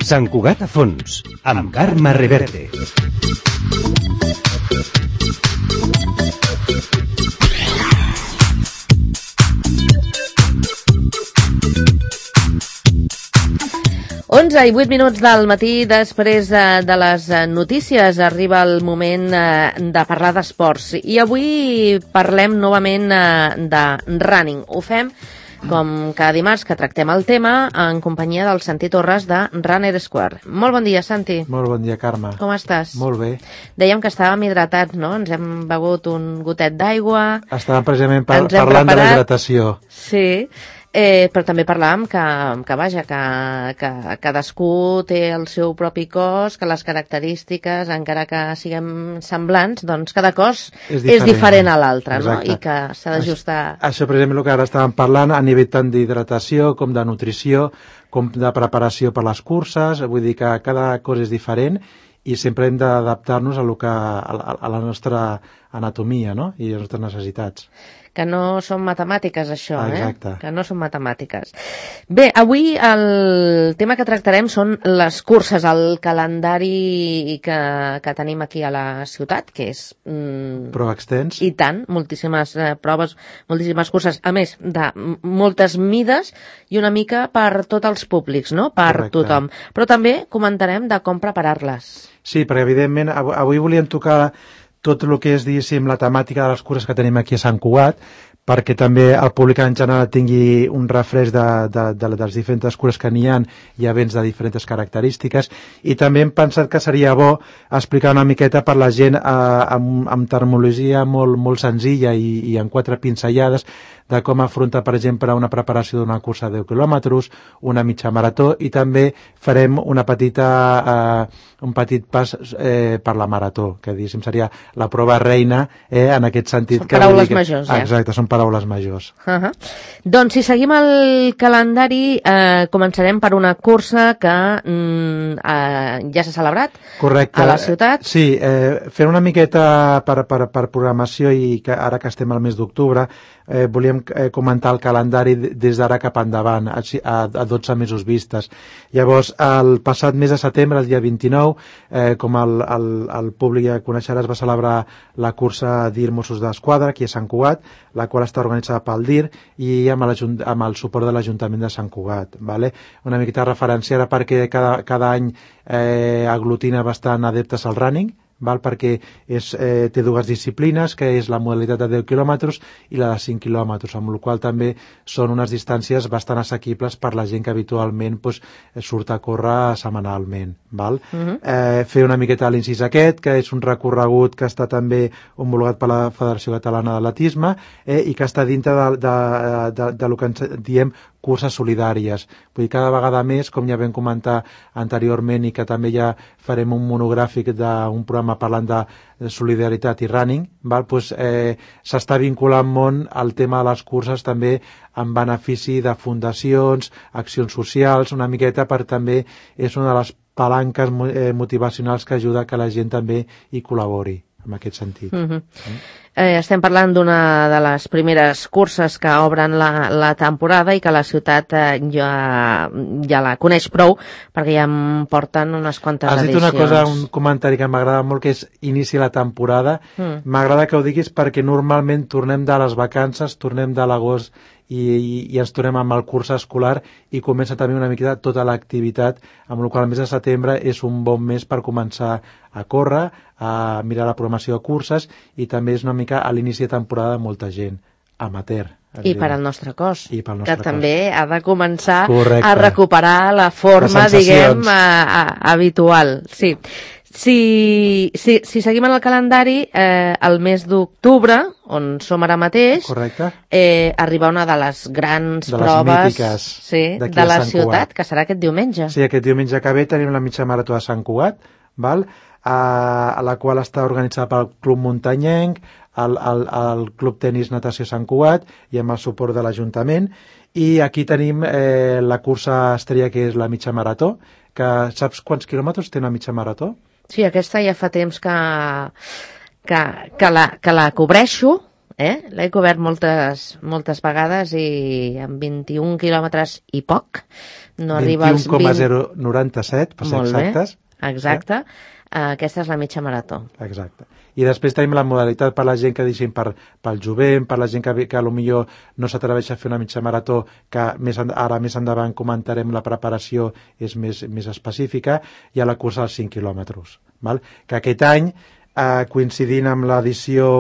Sant Cugat a fons, amb Carme Reverte. Onze i 8 minuts del matí, després de les notícies, arriba el moment de parlar d'esports. I avui parlem novament de running. Ho fem com cada dimarts que tractem el tema en companyia del Santi Torres de Runner Square. Molt bon dia, Santi. Molt bon dia, Carme. Com estàs? Molt bé. Dèiem que estàvem hidratats, no? Ens hem begut un gotet d'aigua. Estàvem precisament parlant de la hidratació. Sí. Però també parlàvem que cadascú té el seu propi cos, que les característiques, encara que siguem semblants, doncs cada cos és diferent a l'altre, no? I que s'ha d'ajustar. Això precisament el que ara estàvem parlant, a nivell tant d'hidratació com de nutrició, com de preparació per les curses, vull dir que cada cos és diferent i sempre hem d'adaptar-nos a la nostra anatomia, no? I a les nostres necessitats. Que no són matemàtiques, això, Exacte. Que no són matemàtiques. Bé, avui el tema que tractarem són les curses, el calendari que tenim aquí a la ciutat, que és... Prou extens. I tant, moltíssimes proves, moltíssimes curses, a més de moltes mides i una mica per tots els públics, no? Per Correcte. tothom. Però també comentarem de com preparar-les. Sí, perquè evidentment avui volíem tocar tot el que és, diguéssim, la temàtica de les curses que tenim aquí a Sant Cugat, perquè també el públic en general tingui un refresc de les diferents curses que n'hi ha i events de diferents característiques, i també hem pensat que seria bo explicar una miqueta per la gent amb terminologia molt senzilla i en 4 pinzellades de com afrontar, per exemple, una preparació d'una cursa de 10 quilòmetres, una mitja marató, i també farem un petit pas per la marató, que diguéssim seria la prova reina en aquest sentit. Són paraules majors, Exacte, són paraules majors. Doncs si seguim el calendari, començarem per una cursa que ja s'ha celebrat. Correcte. A la ciutat. Sí, fent una miqueta per programació, i que ara que estem al mes d'octubre, volíem comentar el calendari des d'ara cap endavant, a 12 mesos vistes. Llavors, el passat mes de setembre, el dia 29, com el públic ja coneixerà, es va celebrar la cursa DIR Mossos d'Esquadra aquí a Sant Cugat, la qual està organitzada pel DIR i amb el suport de l'Ajuntament de Sant Cugat. Vale? Una miqueta referenciada perquè cada any aglutina bastant adeptes al running, perquè té 2 disciplines, que és la modalitat de 10 quilòmetres i la de 5 quilòmetres, amb la qual també són unes distàncies bastant assequibles per la gent que habitualment surt a córrer setmanalment. Fer una miqueta l'incís aquest, que és un recorregut que està també homologat per la Federació Catalana d'Atletisme i que està dintre del que ens diem curses solidàries. Vull dir, cada vegada més, com ja vam comentar anteriorment i que també ja farem un monogràfic d'un programa parlant de solidaritat i running, s'està vinculant molt al tema de les curses també en benefici de fundacions, accions socials, una miqueta per també és una de les palanques motivacionals que ajuda que la gent també hi col·labori en aquest sentit. Estem parlant d'una de les primeres curses que obren la temporada i que la ciutat ja la coneix prou, perquè ja en porten unes quantes edicions. Has dit una cosa, un comentari que m'agrada molt, que és inici la temporada. M'agrada que ho diguis perquè normalment tornem de les vacances, tornem de l'agost i ens tornem amb el curs escolar i comença també una miqueta tota l'activitat, amb la qual el mes de setembre és un bon mes per començar a córrer, a mirar la programació de curses, i també és una mica a l'inici de temporada de molta gent amateur. I per al nostre cos, que cos. També ha de començar Correcte. A recuperar la forma, diguem, habitual. Sí. Si seguim en el calendari, el mes d'octubre, on som ara mateix, arriba una de les grans proves de la ciutat, que serà aquest diumenge. Sí, aquest diumenge que ve tenim la mitja marató de Sant Cugat, a la qual està organitzada pel Club Muntanyenc, el Club Tenis Natació Sant Cugat i amb el suport de l'Ajuntament. I aquí tenim la cursa estrella, que és la mitja marató, que saps quants quilòmetres té una mitja marató? Sí, aquesta ja fa temps que la cobreixo L'he cobert moltes vegades i amb 21 quilòmetres i poc. No arriba als 21,097, per ser exactes. Exacte. Aquesta és la mitja marató. Exacte. I després tenim la modalitat per la gent que deixin pel jovent, per la gent que potser no s'atreveix a fer una mitja marató, que ara més endavant comentarem la preparació és més específica, i a la cursa dels 5 quilòmetres. Que aquest any, coincidint amb l'edició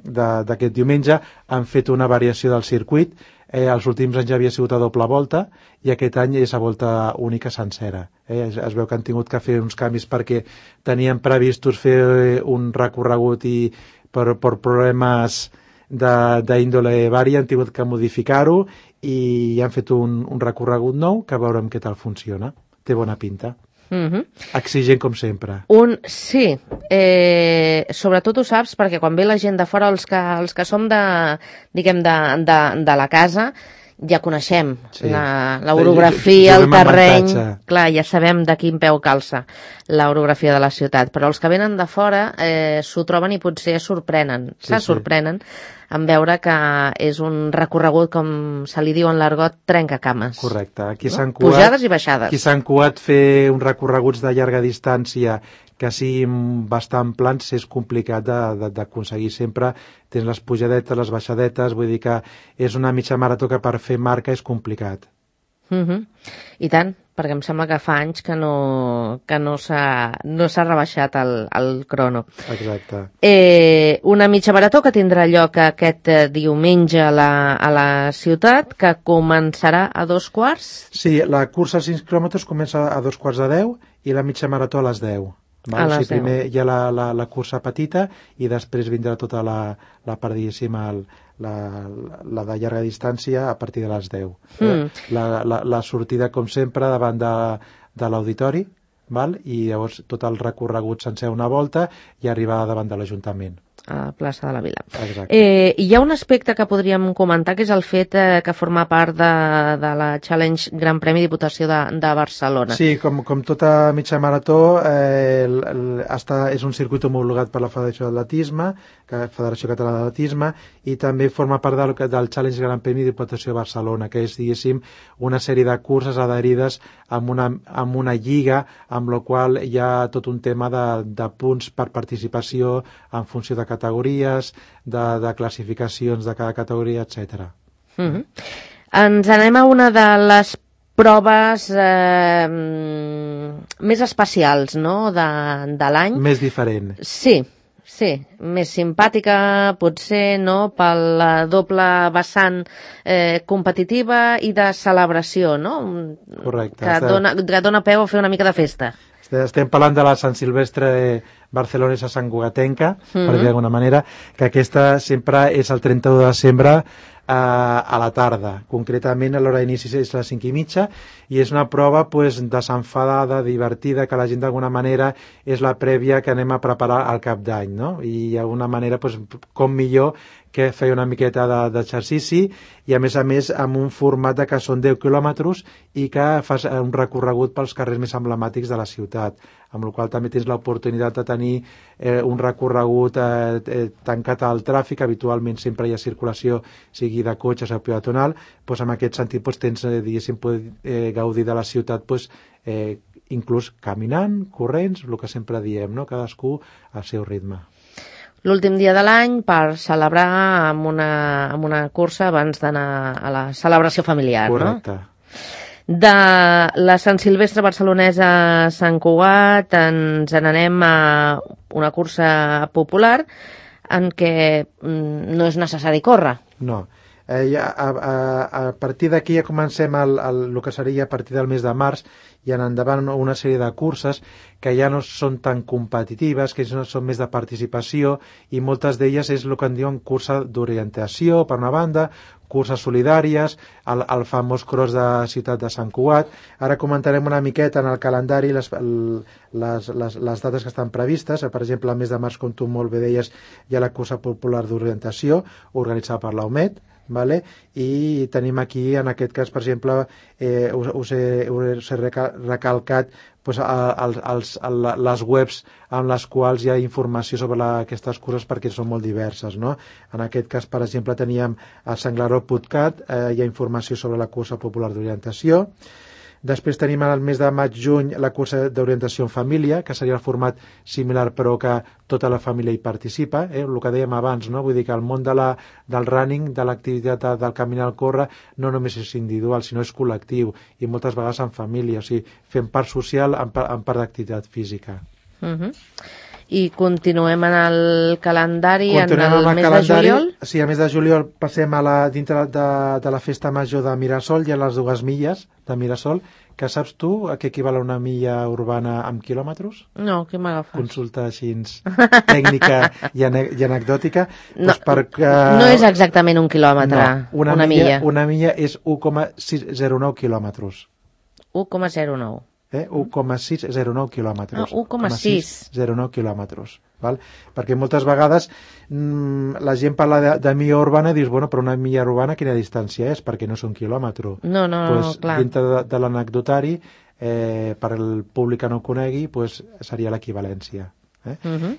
d'aquest diumenge, han fet una variació del circuit. Els últims anys ja havia sigut a doble volta i aquest any és a volta única sencera. Es veu que han tingut que fer uns canvis perquè tenien previstos fer un recorregut i per problemes d'índole vari han tingut que modificar-ho i han fet un recorregut nou que veurem què tal funciona. Té bona pinta. Exigent com sempre. Sí, sobretot ho saps perquè quan ve la gent de fora, els que som de la casa, ja coneixem l'orografia, el terreny, clar, ja sabem de quin peu calça l'orografia de la ciutat, però els que venen de fora s'ho troben i potser sorprenen en veure que és un recorregut, com se li diu en l'argot, trencacames. Correcte. Pujades i baixades. Aquí s'han cuat fer uns recorreguts de llarga distància que siguin bastant plans, és complicat d'aconseguir. Sempre tens les pujadetes, les baixadetes, vull dir que és una mitja marató que per fer marca és complicat. I tant, perquè em sembla que fa anys que no s'ha rebaixat el crono. Exacte. Una mitja marató que tindrà lloc aquest diumenge a la ciutat, que començarà a 2:15. Sí, la cursa als 5 quilòmetres comença a 9:45 i la mitja marató a les 10. Primer hi ha la cursa petita i després vindrà tota la part, diguéssim, la de llarga distància a partir de les 10. La sortida, com sempre, davant de l'auditori, i llavors tot el recorregut sencer una volta i arribar davant de l'Ajuntament. A la plaça de la Vila. Exacte. Hi ha un aspecte que podríem comentar, que és el fet que forma part de la Challenge Gran Premi Diputació de Barcelona. Sí, com tota mitja marató, és un circuit homologat per la Federació Catalana d'Atletisme, i també forma part del Challenge Gran Premi Diputació de Barcelona, que és, diguéssim, una sèrie de curses adherides amb una lliga, amb la qual hi ha tot un tema de punts per participació en funció de categories, de classificacions de cada categoria, etc. Ens anem a una de les proves més especials, no?, de l'any. Més diferent. Sí, més simpàtica, potser, no?, pel doble vessant competitiva i de celebració, no? Correcte. Que dona peu a fer una mica de festa. Estem parlant de la Sant Silvestre barcelonesa santcugatenca, per dir d'alguna manera, que aquesta sempre és el 31 de desembre a la tarda. Concretament, l'hora d'inici és les 5:30 i és una prova desenfadada, divertida, que la gent d'alguna manera és la prèvia que anem a preparar al cap d'any, no? I d'alguna manera, com millor que fer una miqueta d'exercici i a més amb un format que són 10 quilòmetres i que fas un recorregut pels carrers més emblemàtics de la ciutat, amb la qual també tens l'oportunitat de tenir un recorregut tancat al tràfic. Habitualment sempre hi ha circulació, sigui de cotxes o peatonal, en aquest sentit tens, diguéssim, gaudir de la ciutat inclús caminant, corrents, el que sempre diem, no? Cadascú al seu ritme. L'últim dia de l'any per celebrar amb una cursa abans d'anar a la celebració familiar. Correcte. No? De la Sant Silvestre barcelonesa a Sant Cugat ens n'anem a una cursa popular en què no és necessari córrer. No. A partir d'aquí ja comencem el que seria a partir del mes de març i en endavant una sèrie de curses que ja no són tan competitives, que són més de participació, i moltes d'elles és el que en diuen cursa d'orientació, per una banda, curses solidàries, el famós cross de Ciutat de Sant Cugat. Ara comentarem una miqueta en el calendari les dates que estan previstes. Per exemple, el mes de març, com tu molt bé deies, hi ha la cursa popular d'orientació organitzada per la UMED, i tenim aquí, en aquest cas, per exemple, us he recalcat les webs amb les quals hi ha informació sobre aquestes curses perquè són molt diverses, no? En aquest cas, per exemple, teníem a Sanglaró.cat, hi ha informació sobre la cursa popular d'orientació. Després tenim al mes de maig-juny la cursa d'orientació en família, que seria el format similar però que tota la família hi participa, el que dèiem abans, no? Vull dir que el món del running, de l'activitat del caminar al córrer, no només és individual, sinó és col·lectiu i moltes vegades en família, o sigui, fem part social en part d'activitat física. I continuem en el calendari en el mes de juliol? Sí, al mes de juliol passem dintre de la festa major de Mirasol, hi ha les 2 milles de Mirasol, que saps tu a què equival a una milla urbana amb quilòmetres? No, què m'agafes? Consulta així tècnica i anecdòtica. No, doncs perquè, no és exactament un quilòmetre, no, una milla. Una milla és 1,609 quilòmetres. 1,09. 1,609 quilòmetres. 1,609 quilòmetres. Val? Perquè moltes vegades la gent parla de milla urbana i dius, bueno, però una milla urbana quina distància és? Perquè no és un quilòmetre. No, clar. Dintre de l'anecdotari, per al públic que no ho conegui, seria l'equivalència.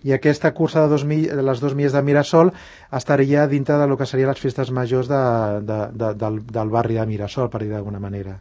I aquesta cursa de les 2 milles de Mirasol estaria dintre del que serien les festes majors del barri de Mirasol, per dir d'alguna manera.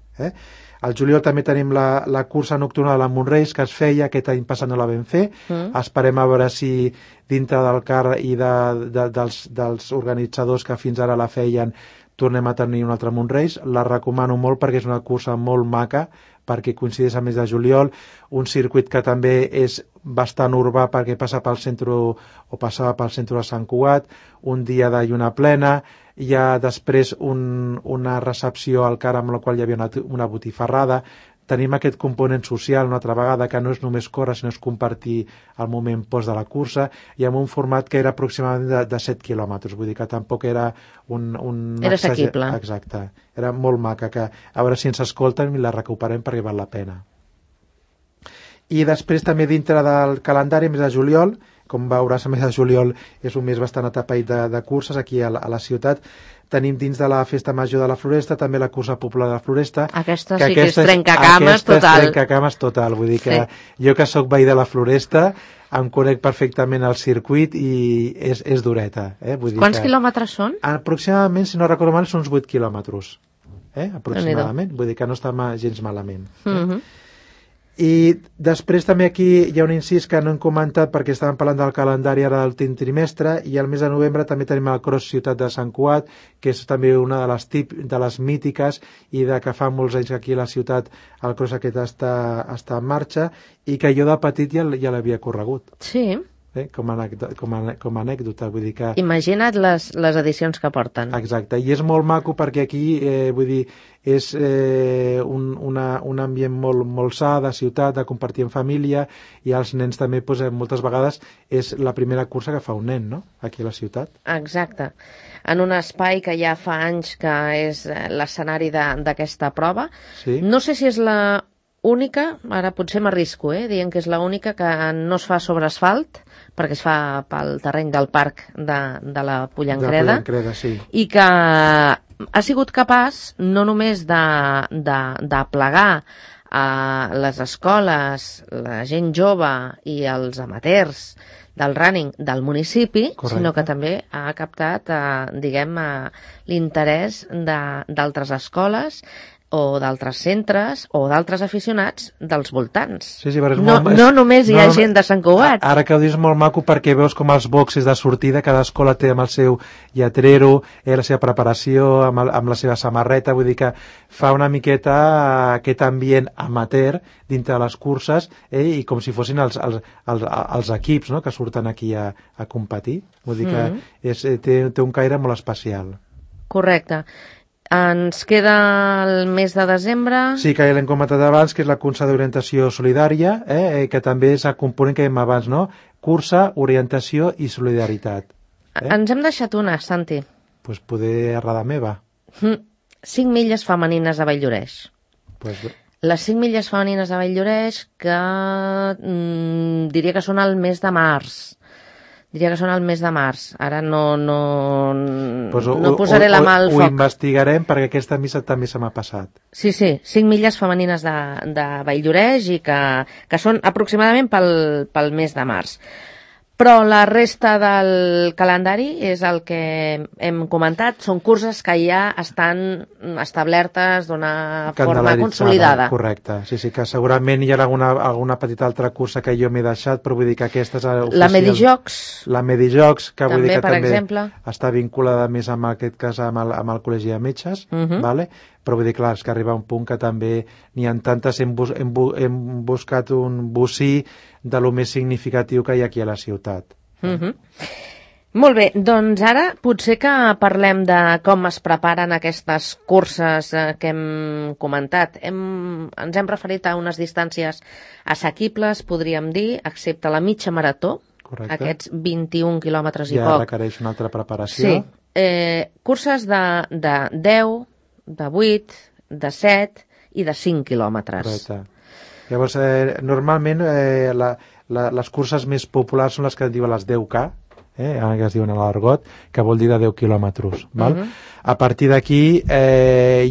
Al juliol també tenim la cursa nocturna de la Montreis, que es feia, aquest any passat no la vam fer. Esperem a veure si dintre del CAR i dels organitzadors que fins ara la feien tornem a tenir un altre Montreis. La recomano molt perquè és una cursa molt maca, perquè coincideix al mes de juliol, un circuit que també és bastant urbà perquè passa pel centre o passava pel centre de Sant Cugat, un dia de lluna plena, hi ha després una recepció al CAR amb la qual hi havia una botifarrada. Tenim aquest component social una altra vegada, que no és només córrer, sinó és compartir el moment post de la cursa, i amb un format que era aproximadament de 7 quilòmetres, vull dir que tampoc era era assequible. Exacte, era molt maca, que a veure si ens escolten i la recuperem perquè val la pena. I després també dintre del calendari, mes de juliol, com veuràs, el mes de juliol és un mes bastant atapeït de curses aquí a la ciutat. Tenim dins de la festa major de la Floresta també la cursa popular de la Floresta. Aquesta sí que és trencacames total. Aquesta és trencacames total, vull dir que jo que sóc veí de la Floresta em conec perfectament el circuit i és dureta. Vull dir Quants quilòmetres són? Aproximadament, si no recordo mal, són uns 8 quilòmetres. Aproximadament, vull dir que no està gens malament. I després també aquí hi ha un incís que no hem comentat perquè estàvem parlant del calendari ara del trimestre, i al mes de novembre també tenim el Cross Ciutat de Sant Cugat, que és també una de les mítiques i de que fa molts anys que aquí a la ciutat el cross aquest està en marxa, i que jo de petit ja l'havia corregut. Sí. Com a anècdota, vull dir que... Imagina't les edicions que porten. Exacte, i és molt maco perquè aquí, vull dir, és un ambient molt sa de ciutat, de compartir en família, i els nens també, moltes vegades, és la primera cursa que fa un nen, no?, aquí a la ciutat. Exacte. En un espai que ja fa anys que és l'escenari d'aquesta prova. Sí. No sé si és la única, ara potser m'arrisco, dient que és la única que no es fa sobre asfalt, perquè es fa pel terreny del parc de la Pollancreda, sí. I que ha sigut capaç no només de plegar a les escoles, la gent jove i els amateurs del running del municipi, correcte, sinó que també ha captat, l'interès d'altres escoles o d'altres centres o d'altres aficionats dels voltants. Sí, no només hi ha gent de Sant Cugat. Ara que ho dius molt maco perquè veus com els boxes de sortida, cada escola té amb el seu lletrero, la seva preparació, amb la seva samarreta, vull dir que fa una miqueta aquest ambient amateur dintre de les curses, i com si fossin els equips, no?, que surten aquí a competir. Vull dir que té un caire molt especial. Correcte. Ens queda el mes de desembre... Sí, que ja l'hem comentat abans, que és la cursa d'orientació solidària, que també és el component que dèiem abans, no? Cursa, orientació i solidaritat. Ens hem deixat una, Santi. Doncs poder errada meva. 5 milles femenines a Valldoreix. Les 5 milles femenines a Valldoreix, que diria que són al mes de març. Diria que són al mes de març. Ara no Pues posaré la mà al Ho foc. investigarem perquè aquesta missa també se m'ha passat. Sí, 5 milles femenines de Valldoreix i que són aproximadament pel mes de març. Però la resta del calendari és el que hem comentat. Són curses que ja estan establertes d'una forma consolidada. Correcte. Sí, que segurament hi ha alguna petita altra cursa que jo m'he deixat, però vull dir que aquesta és oficial. La Medijocs. La Medijocs, que vull dir que per també exemple, està vinculada més amb aquest cas amb el Col·legi de Metges, vale? Però vull dir, clar, és que arriba un punt que també n'hi ha tantes, hem buscat un bocí de lo més significatiu que hi ha aquí a la ciutat. Molt bé, doncs ara potser que parlem de com es preparen aquestes curses que hem comentat. Ens hem referit a unes distàncies assequibles, podríem dir, excepte la mitja marató, correcte, aquests 21 quilòmetres i ja poc. Ja requereix una altra preparació. Sí, curses de 10, de 8, de 7 i de 5 quilòmetres. Correcte. Llavors, normalment les curses més populars són les que diuen les 10K, que es diuen a l'argot, que vol dir de 10 quilòmetres. A partir d'aquí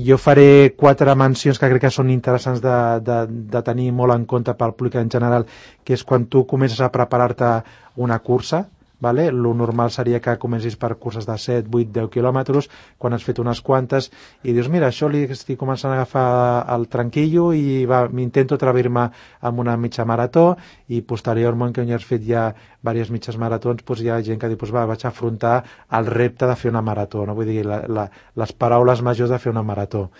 jo faré 4 mencions que crec que són interessants de tenir molt en compte pel públic en general, que és quan tu comences a preparar-te una cursa. Vale? Lo normal seria que comencis per curses de 7, 8, 10 quilòmetres, quan has fet unes quantes i dius, mira, això li estic començant a agafar el tranquillo i m'intento atrevir-me amb una mitja marató, i posteriorment, que ja has fet ja diverses mitges maratons, doncs hi ha gent que diu, doncs vaig a afrontar el repte de fer una marató, no? Vull dir, les paraules majors de fer una marató.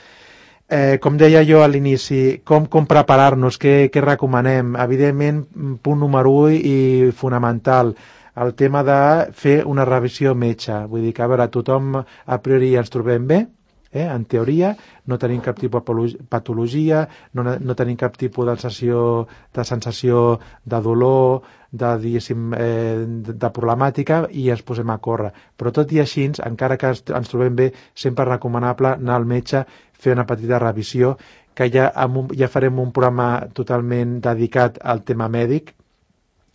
Com deia jo a l'inici, com preparar-nos, què recomanem? Evidentment, punt número 1 i fonamental, el tema de fer una revisió metge. Vull dir que, a veure, tothom a priori ens trobem bé, en teoria, no tenim cap tipus de patologia, no tenim cap tipus de sensació de dolor, de problemàtica, i ens posem a córrer. Però tot i així, encara que ens trobem bé, sempre és recomanable anar al metge, fer una petita revisió, que ja farem un programa totalment dedicat al tema mèdic,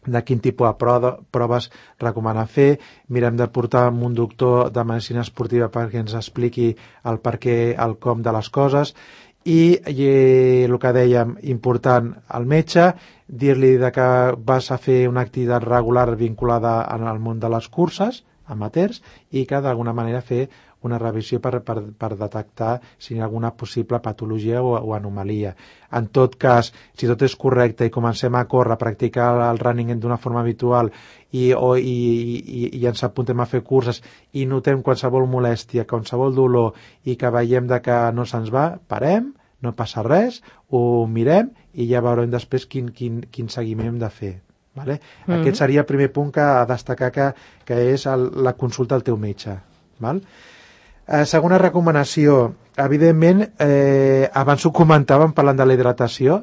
de quin tipus de proves recomana fer. Mirem de portar un doctor de medicina esportiva perquè ens expliqui el per què, el com de les coses, i el que dèiem, important, al metge, dir-li que vas a fer una activitat regular vinculada al món de les curses, amateurs, i que d'alguna manera fer una revisió per detectar si hi ha alguna possible patologia o anomalia. En tot cas, si tot és correcte i comencem a córrer, a practicar el running d'una forma habitual i ens apuntem a fer curses i notem qualsevol molèstia, qualsevol dolor, i que veiem que no se'ns va, parem, no passa res, ho mirem i ja veurem després quin seguiment hem de fer. Vale? Aquest seria el primer punt a destacar, que és la consulta al teu metge. Val? Segona recomanació, evidentment, abans ho comentàvem parlant de la hidratació,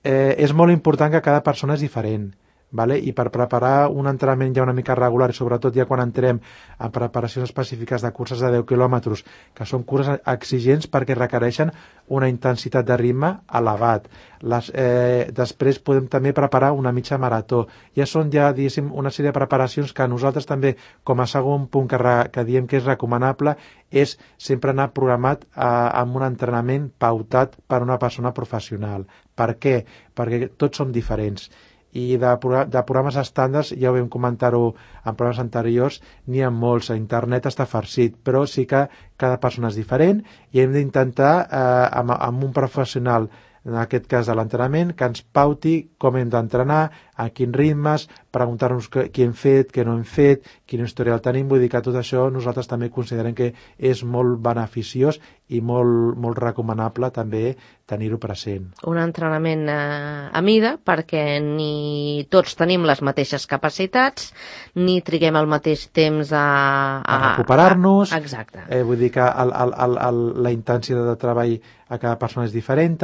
és molt important que cada persona és diferent, vale? I per preparar un entrenament ja una mica regular, i sobretot ja quan entrem en preparacions específiques de curses de 10 quilòmetres, que són curses exigents perquè requereixen una intensitat de ritme elevat. Després podem també preparar una mitja marató. Ja són diguéssim, una sèrie de preparacions que nosaltres també, com a segon punt que diem que és recomanable, és sempre anar programat amb un entrenament pautat per una persona professional. Per què? Perquè tots som diferents. I de programes estàndards, ja ho vam comentar-ho en programes anteriors, n'hi ha molts, a internet està farcit, però sí que cada persona és diferent i hem d'intentar amb un professional, en aquest cas de l'entrenament, que ens pauti com hem d'entrenar, a quins ritmes, preguntar-nos què hem fet, què no hem fet, quin historial tenim. Vull dir que tot això nosaltres també considerem que és molt beneficiós i molt recomanable també tenir-ho present. Un entrenament a mida, perquè ni tots tenim les mateixes capacitats, ni triguem el mateix temps a recuperar-nos. Exacte. Vull dir que la intensitat de treball a cada persona és diferent,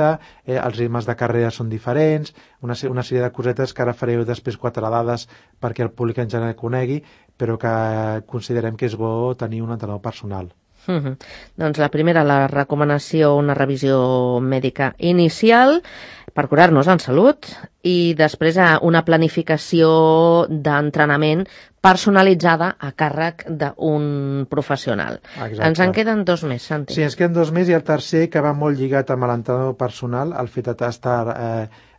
els ritmes de carrera són diferents, una sèrie de cosetes que ara fareu després 4 dades perquè el públic en general conegui, però que considerem que és bo tenir un entrenador personal. Doncs la primera, la recomanació, una revisió mèdica inicial per curar-nos en salut i després una planificació d'entrenament personalitzada a càrrec d'un professional. Exacte. Ens en queden 2 més, Santi. Sí, ens queden 2 més, i el tercer, que va molt lligat amb l'entrenador personal, el fet d'estar,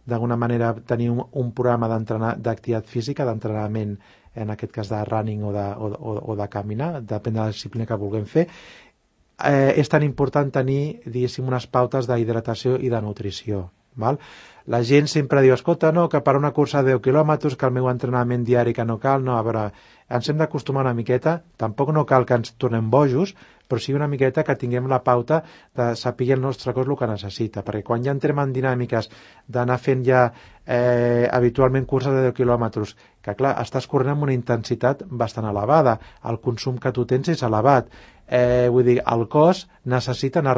d'alguna manera, tenir un programa d'activitat física, d'entrenament, en aquest cas de running o de caminar, depèn de la disciplina que vulguem fer. És tan important tenir, diguéssim, unes pautes d'hidratació i de nutrició. Val? La gent sempre diu, escolta, no, que per una cursa de 10 quilòmetres, que el meu entrenament diari que no cal, no, a veure, ens hem d'acostumar una miqueta, tampoc no cal que ens tornem bojos, però sí una miqueta que tinguem la pauta de saber el nostre cos el que necessita, perquè quan ja entrem en dinàmiques d'anar fent ja habitualment curses de 10 quilòmetres, que clar, estàs corrent amb una intensitat bastant elevada, el consum que tu tens és elevat, vull dir, el cos necessita anar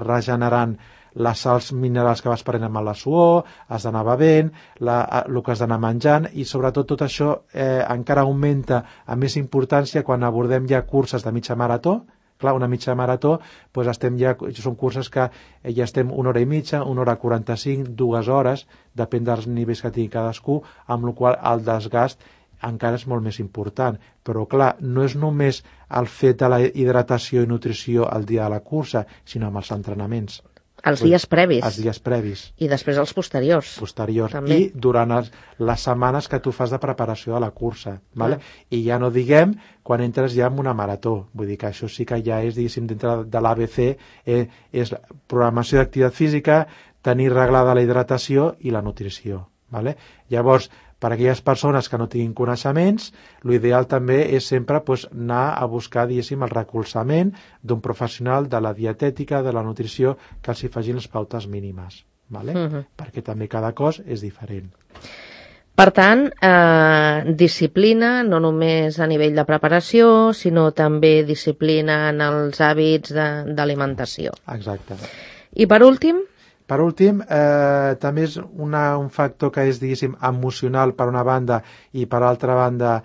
regenerant les sals minerals que vas prenent amb la suor, has d'anar bevent, el que has d'anar menjant, i sobretot tot això encara augmenta amb més importància quan abordem ja curses de mitja marató. Clar, una mitja marató, doncs són curses que ja estem 1 hora i mitja, 1 hora 45, 2 hores, depèn dels nivells que tingui cadascú, amb la qual el desgast encara és molt més important. Però clar, no és només el fet de la hidratació i nutrició el dia de la cursa, sinó amb els entrenaments. Els dies previs. Els dies previs. I després els posteriors. També. I durant les setmanes que tu fas de preparació de la cursa. Vale? I ja no diguem quan entres ja en una marató. Vull dir que això sí que ja és, diguéssim, dintre de l'ABC, és programació d'activitat física, tenir reglada la hidratació i la nutrició. Vale? Llavors, per a aquelles persones que no tinguin coneixements, l'ideal també és sempre anar a buscar, diguéssim, el recolzament d'un professional de la dietètica, de la nutrició, que els hi facin les pautes mínimes, vale? Perquè també cada cos és diferent. Per tant, disciplina, no només a nivell de preparació, sinó també disciplina en els hàbits d'alimentació. Exacte. I per últim? Per últim, també és un factor que és, diguéssim, emocional per una banda i per altra banda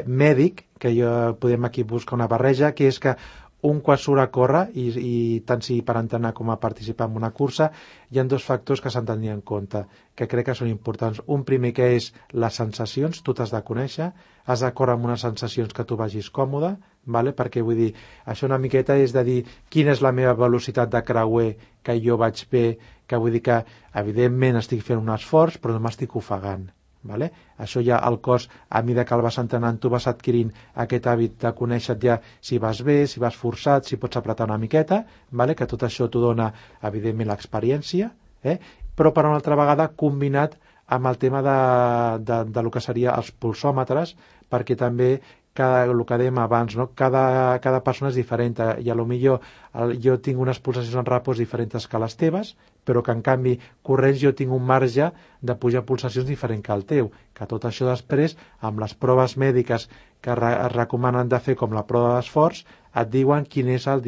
mèdic, que podem aquí buscar una barreja, que és que un quan surt a córrer, i tant si per entrenar com a participar en una cursa, hi ha 2 factors que s'han de tenir en compte, que crec que són importants. Un primer, que és les sensacions, tu t'has de conèixer, has de córrer amb unes sensacions que tu vagis còmode, vale? Perquè vull dir, això una miqueta és de dir quina és la meva velocitat de creuer, que jo vaig bé, que vull dir que evidentment estic fent un esforç però no m'estic ofegant. Vale? Això ja el cos, a mesura que el vas entrenant, tu vas adquirint aquest hàbit de conèixer ja si vas bé, si vas forçat, si pots apretar una miqueta, vale? Que tot això t'ho dona evidentment l'experiència, però per una altra vegada combinat amb el tema de lo que seria els pulsòmetres, perquè també el que dèiem abans, no? Cada persona és diferent, i a lo millor jo tinc unes pulsacions en repòs diferents que les teves, però que en canvi corrents jo tinc un marge de pujar pulsacions diferent que el teu, que tot això després amb les proves mèdiques que es recomanen de fer, com la prova d'esforç, et diuen quin és el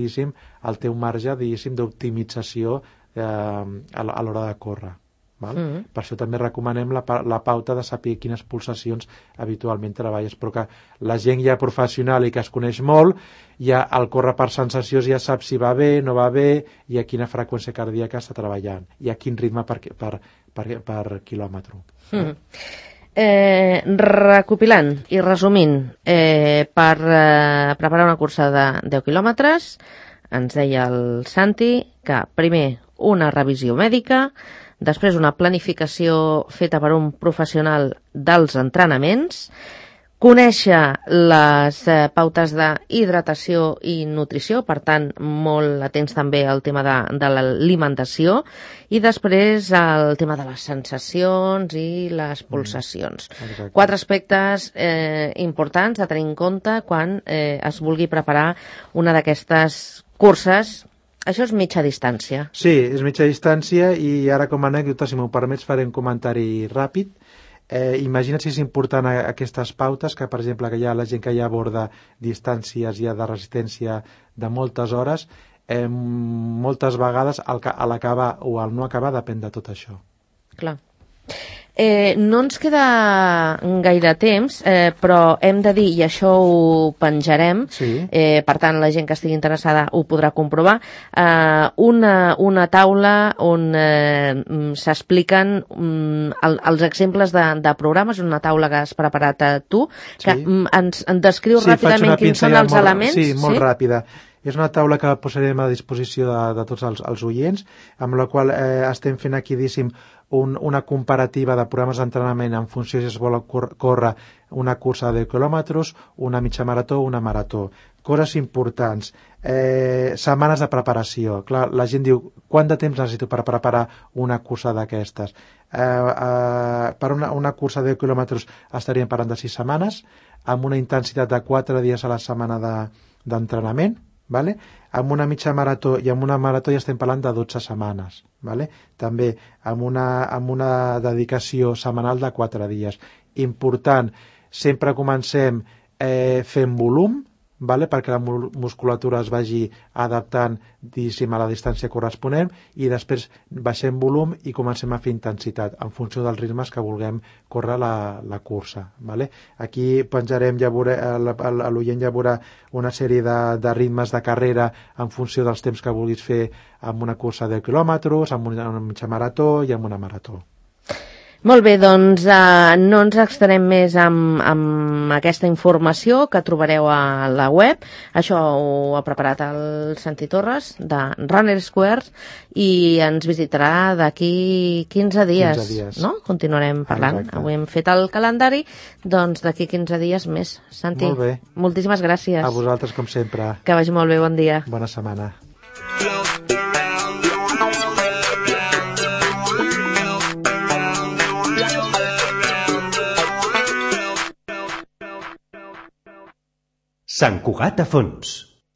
teu marge d'optimització a l'hora de córrer. Val? Per això també recomanem la pauta de saber quines pulsacions habitualment treballes, però que la gent ja professional i que es coneix molt, ja al córrer per sensacions ja sap si va bé, no va bé, i a quina freqüència cardíaca està treballant, i a quin ritme per quilòmetre. Recopilant i resumint, per preparar una cursa de 10 quilòmetres, ens deia el Santi que primer una revisió mèdica, després una planificació feta per un professional dels entrenaments, conèixer les pautes d'hidratació i nutrició, per tant, molt atents també al tema de l'alimentació, i després el tema de les sensacions i les pulsacions. 4 aspectes importants a tenir en compte quan es vulgui preparar una d'aquestes curses. Això és mitja distància. Sí, és mitja distància, i ara com a anècdota, si m'ho permets, faré un comentari ràpid. Imagina't si és important aquestes pautes, que per exemple que hi ha la gent que ja aborda distàncies ja de resistència de moltes hores, moltes vegades l'acabar o el no acabar depèn de tot això. Clar. No ens queda gaire temps, però hem de dir, i això ho penjarem, per tant la gent que estigui interessada ho podrà comprovar, una taula on s'expliquen els exemples de programes, una taula que has preparat tu, que ens descriu ràpidament quins són els elements. Sí, molt ràpida. És una taula que posarem a disposició de tots els oients, amb la qual estem fent aquí, diguéssim, una comparativa de programes d'entrenament en funció si es vol córrer una cursa de 10 quilòmetres, una mitja marató o una marató. Coses importants. Setmanes de preparació. Clar, la gent diu, quant de temps necessito per preparar una cursa d'aquestes? Per una cursa de 10 quilòmetres estaríem parlant de 6 setmanes, amb una intensitat de 4 dies a la setmana d'entrenament, vale? Amb una mitja marató i amb una marató ja estem parlant de 12 setmanes, vale? També amb una dedicació setmanal de 4 dies. Important, sempre comencem fent volum, vale? Perquè la musculatura es vagi adaptant, diguéssim, a la distància corresponent, i després baixem volum i comencem a fer intensitat en funció dels ritmes que vulguem córrer la cursa, vale? Aquí penjarem, l'oient ja veurà una sèrie de ritmes de carrera en funció dels temps que vulguis fer amb una cursa de 10 quilòmetres, amb una mitja marató i amb una marató. Molt bé, doncs no ens extenem més amb aquesta informació que trobareu a la web. Això ho ha preparat el Santi Torres de Runner Squares i ens visitarà d'aquí 15 dies. 15 dies. No? Continuarem parlant. Exacte. Avui hem fet el calendari, doncs d'aquí 15 dies més. Santi, molt bé. Moltíssimes gràcies. A vosaltres, com sempre. Que vagi molt bé, bon dia. Bona setmana. Sant Cugat a fons.